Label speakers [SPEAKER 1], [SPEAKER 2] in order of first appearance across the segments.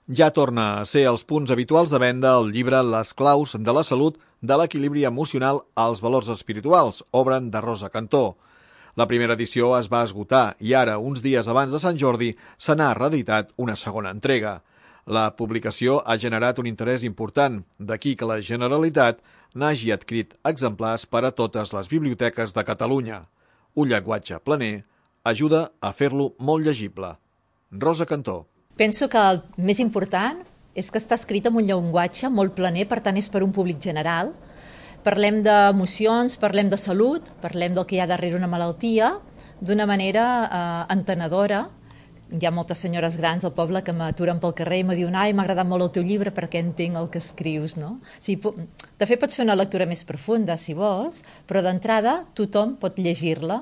[SPEAKER 1] Ja torna a ser els punts habituals de venda el llibre Les claus de la salut, de l'equilibri emocional als valors espirituals, obra de Rosa Cantó. La primera edició es va esgotar i ara, uns dies abans de Sant Jordi, se n'ha reeditat una segona entrega. La publicació ha generat un interès important, d'aquí que la Generalitat n'hagi adquirit exemplars per a totes les biblioteques de Catalunya. Un llenguatge planer ajuda a fer-lo molt llegible. Rosa Cantó.
[SPEAKER 2] Penso que el més important és que està escrit en un llenguatge molt planer, per tant és per un públic general. Parlem d'emocions, parlem de salut, parlem del que hi ha darrere una malaltia, d'una manera entenedora. Hi ha moltes senyores grans al poble que m'aturen pel carrer i me diuen «Ai, m'ha agradat molt el teu llibre perquè entenc el que escrius», no? De fet, pots fer una lectura més profunda, si vols, però d'entrada tothom pot llegir-la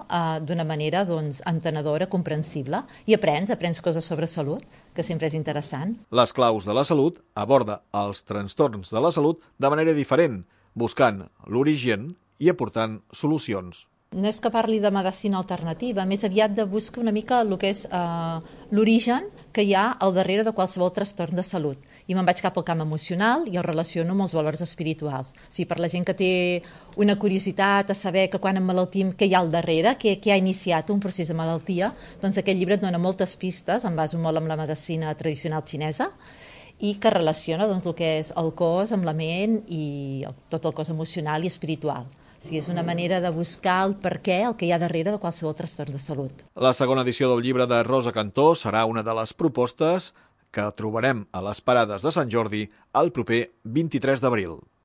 [SPEAKER 2] d'una manera entenedora, comprensible, i aprens coses sobre salut, que sempre és interessant.
[SPEAKER 1] Les claus de la salut aborda els trastorns de la salut de manera diferent, buscant l'origen i aportant solucions.
[SPEAKER 2] No és que parli de medicina alternativa, més aviat de buscar una mica el que és l'origen que hi ha al darrere de qualsevol trastorn de salut. I me'n vaig cap al camp emocional i el relaciono amb els valors espirituals. O sigui, per la gent que té una curiositat a saber que quan emmalaltim què hi ha al darrere, què ha iniciat un procés de malaltia, doncs aquest llibre et dona moltes pistes, em baso molt amb la medicina tradicional xinesa, i que relaciona el que és el cos amb la ment i tot el cos emocional i espiritual. O sigui, és una manera de buscar el perquè, el que hi ha darrere de qualsevol trastorn de salut.
[SPEAKER 1] La segona edició del llibre de Rosa Cantó serà una de les propostes que trobarem a les parades de Sant Jordi el proper 23 d'abril.